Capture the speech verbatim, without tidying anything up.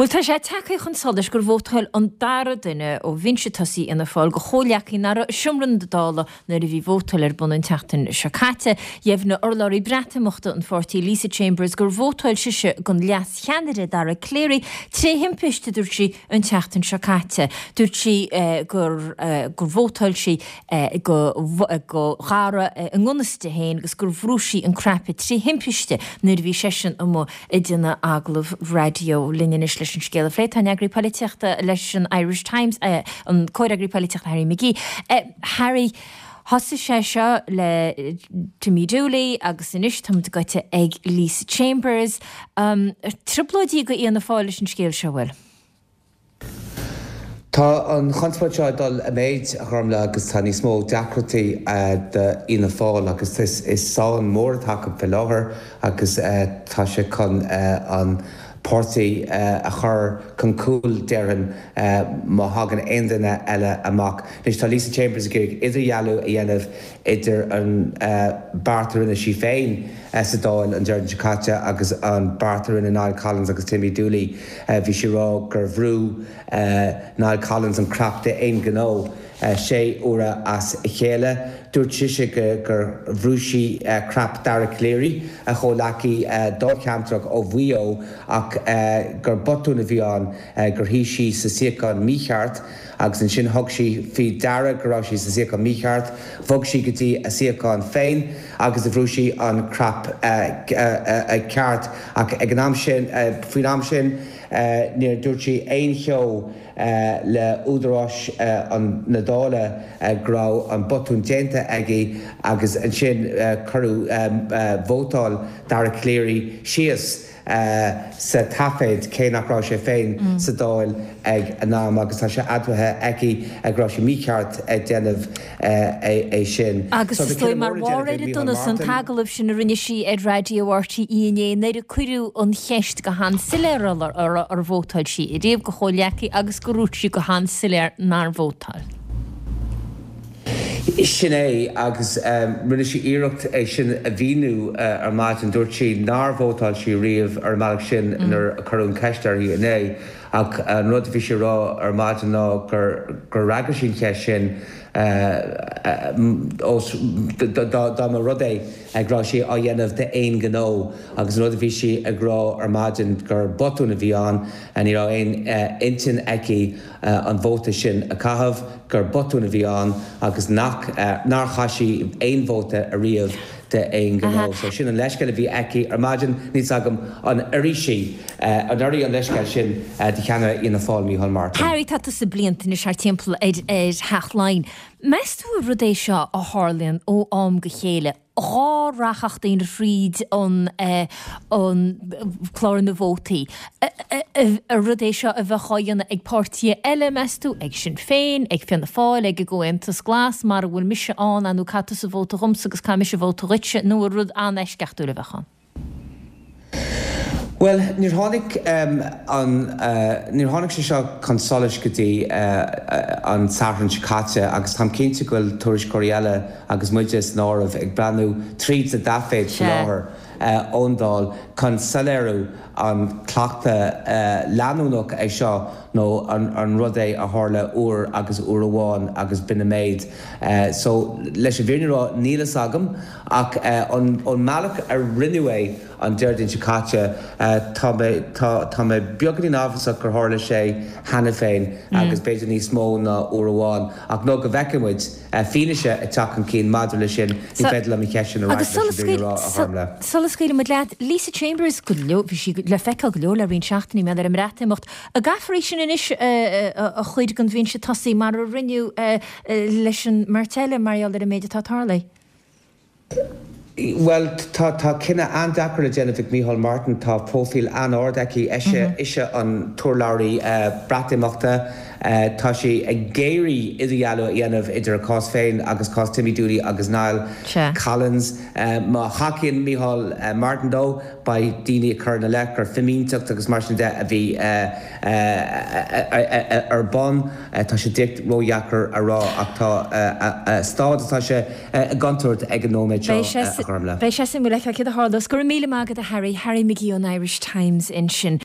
Bhuel, tá sé tagtha chun solais gur vótáil an dara duine ó bhinse tosaigh Fhianna Fáil do chomhghleacaí nach raibh i seomra na Dála nuair a bhí vótáil ar bun an tseachtain seo caite. Dheimhnigh urlabhraí Breatimeachta an pháirtí Lisa Chambers gur vótáil sise don leas-cheannaire Dara Calleary tré thimpiste, dúirt sí, an tseachtain seo caite. Dúirt sí gur gur vótáil sí do do Dhara i ngan fhios di féin agus gur bhrúigh sí an cnaipe tré thimpiste nuair a bhí seisean amuigh ag déanamh agallamh raidió linn anois leis an scéal a phlé. Tá an eagraí polaitíochta leis an Irish Times, an comhfhreagraí polaitíochta Harry McGee. Harry, thosaigh sé seo le Timmy Dooley agus anois táimid gaibhte ag Lisa Chambers. Um, trioblóidí do Fhianna Fáil leis an scéal seo bhfuil? Tá an chonspóid seo ag dul i méid, a Ghormfhlaith, agus tá níos mó deacrachtaí d'Fhianna Fáil agus is sáinn mór atá acu faoi láthair agus tá sé chun an páirtí a chur chun cúil, déarfainn, má thagann aon duine eile amach. Anois tá Lisa Chambers ag iarraidh idirdhealú a dhéanamh idir an beart a rinne sí féin sa Dáil an Déardaoin seo caite agus an beart a rinne Niall Collins agus Timmy Dooley. Bhí sí ag rá gur bhrú Niall Collins an cnaipe d'aon ghnó sé huaire as a chéile. Dúirt sise gur bhrú sí cnaipe Dara Calleary, a chomhghleacaí dáilcheantrach ó Mhaigh Eo, ach gur botún a bhí ann, gur shuigh sí sa suíochán mícheart. Agus ansin thug sí faoi deara go raibh sí sa suíochán mícheart, bhog sí go dtí a suíochán féin agus bhrú sí an cnaipe ceart. Ach ag an am sin, faoin am sin, níor dúirt sí aon cheo le údaráis na Dála go raibh an botún déanta aici agus ansin cuireadh vótáil Dara Calleary síos. sa taifead, cé nach raibh sé féin sa Dáil ag an am, agus tá sé admhaithe aici go raibh sé mícheart ag déanamh é sin. Agus is dóigh mar bharr ar an donas an t-agallamh sin a rinne sí ar Raidió R T É inné nuair a cuireadh an cheist go han-soiléir uirthi ar vótáil sí ariamh do chomhghleacaí agus go ndúirt sí go han-soiléir nár vótáil. Sin é, agus rinne sí iarracht é sin a mhíniú ar maidin. Dúirt sí nár vótáil sí riamh ar an mbealach sin nuair a cuireadh an cheist uirthi inné, ach an rud a bhí sí a rá ar maidin ná gur fhreagair sí an cheist sin ós dá mba rud é go raibh sí á dhéanamh d'aon ghnó agus an rud a bhí sí ag rá ar maidin gur botún a bhí ann, ní raibh aon intinn aici an vóta sin a chaitheamh, gur botún a bhí ann agus nach nár chaith sí aon vóta ariamh d'aon ghnó. So sin an leithscéal a bhí aici ar maidin. Níl 's agam an oirfidh sí, an oirfidh an leithscéal sin do cheannaire Fhianna Fáil, Micheál Martin. Harry, tá tusa blianta anois thar timpeall ar Theach Laighean. Meas tú ar rud é seo a tharlaíonn ó am go chéile, dhá rachadh daoine thríd an an clár na vótaí? Ar rud é seo a bheadh á dhéanamh ag páirtithe eile, meas tú, ag Sinn Féin, ag Fianna Fáil, ag an gComhaontas Glas, mara bhfuil mise ann, nó caith tusa vóta dhomsa agus caithfidh mise vóta dhuitse, nó ar rud an-eisceachtúil a bheadh ann? Bhuel, níor tháinig an, níor tháinig sé seo chun solais go dtí an Satharn seo caite agus táim cinnte go bhfuil tuairisceoirí eile, agus muide san áireamh, ag breathnú tríd na taifid faoi láthair ón Dáil chun soiléiriú an cleachtadh leanúnach é seo nó an rud é a tharla uair agus uair amháin agus b'in an méid. So, leis an bhfírinne a rá, níl fhios agam ach ón mbealach a rinneadh é an Déardaoin seo caite, tá mé, tá, tá mé beagáinín amhrasach gur tharla sé cheana féin agus b'fhéidir níos mó ná uair amháin ach nó go bhfeicfidh muid fianaise ag teacht chun cinn maidir leis sin, ní féidir liom an cheist sin a fhreagairt leis an bhfírinne a rá, a Ghormfhlaith. Sula scaoilfidh muid leat, Lisa Chambers, go leor, bhí sí le feiceáil go leor le roinnt seachtainí, mar gheall ar an mBreatimeacht. An gcaithfear í sin anois a chur den bhinse tosaigh mar a rinneadh leis an mbeirt eile mar gheall ar an méid atá tarlaithe? Bhuel, tá tá cinneadh an-deacair le déanamh ag Micheál Martin. Tá próifíl an-ard aici. Ise ise an t-urlabhraí Breatimeachta. Tá sí ag iarraidh idirdhealú a dhéanamh idir a cás féin agus cás Timmy Dooley agus Niall Collins. Má thacaíonn Micheál Martin dó, beidh daoine ag cur ina leith gur fimínteacht agus mar sin de a bhí ar bun. Tá sé díreach ródheacair a rá ach tá staid atá sé i gcontúirt ag an nóiméad seo, a Ghormfhlaith. Beidh sé suimiúil le feiceáil céard a tharlós. Go raibh míle maith agat a Harry, Harry McGee ón Irish Times ansin.